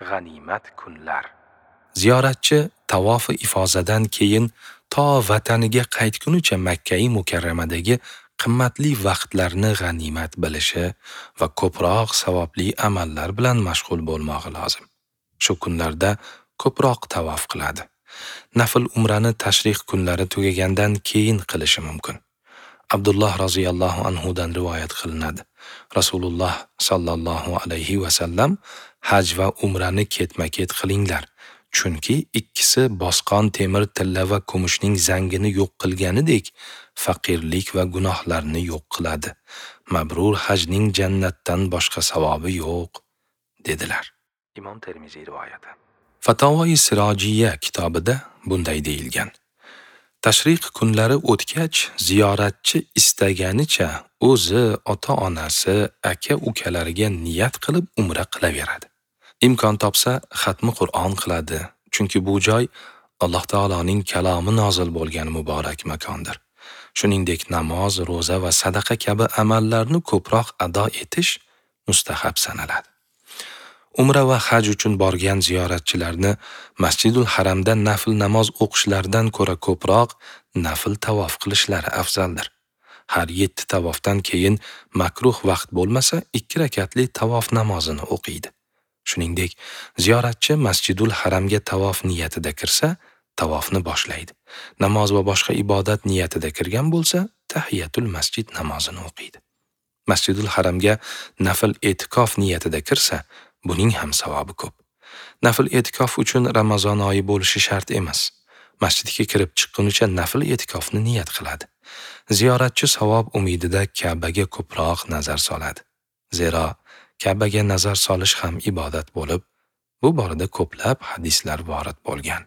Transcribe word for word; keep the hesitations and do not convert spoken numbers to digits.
G'animat kunlar. Ziyoratchi tavofi ifozadan keyin to vataniga qaytgunicha Makkai Mukarramadagi qimmatli vaqtlarni g'animat bilishi va ko'proq savobli amallar bilan mashg'ul bo'lmog'i lozim. Shu kunlarda ko'proq tavof qiladi. Nafl umrani tashriq kunlari tugagandan keyin qilishi mumkin. Abdulloh roziyallohu anhu dan rivoyat qilinadi. Rasululloh sallallohu alayhi va sallam haj va umrani ketma-ket qilinglar, chunki ikkisi bosqon temir, tilla va kumushning zangini yo'q qilganidek faqirlik va gunohlarni yo'q qiladi. Mabrur hajning jannatdan boshqa savobi yo'q, dedilar. Imom Termiziy rivoyati. Fatavoi Sirojiya kitobida bunday deyilgan: Tashriq kunlari o'tgach, ziyoratchi istaganicha o'zi, ota-onasi, aka-ukalariga niyat qilib umra qilaveradi. Imkon topsa xatmi Qur'on qiladi, chunki bu joy Alloh taoloning kalomi nozil bo'lgan muborak makondir. Shuningdek, namoz, ro'za va sadaqa kabi amallarni ko'proq ado etish mustahab sanaladi. Umra va haj uchun borgan ziyoratchilarni Masjidul Haramda nafl namoz o'qishlaridan ko'ra ko'proq nafl tavof qilishlari afzaldir. Har yetti tavofdan keyin makruh vaqt bo'lmasa ikki rakatli tavof namozini o'qiydi. Shuningdek, ziyoratchi Masjidul Haramga tavof niyatida kirsa, tavofni boshlaydi. Namoz va boshqa ibodat niyatida kirgan bo'lsa, tahiyatul masjid namozini o'qiydi. Masjidul Haramga nafl e'tikof niyatida kirsa, buning ham savobi ko'p. Nafl e'tikof uchun Ramazon oyi bo'lishi shart emas. Masjidga kirib chiqqunicha nafl e'tikofni niyat qiladi. Ziyoratchi savob umidida Ka'baga ko'proq nazar soladi. Zero Ka'baga nazar solish ham ibodat bo'lib, bu borada ko'plab hadislar vorid bo'lgan.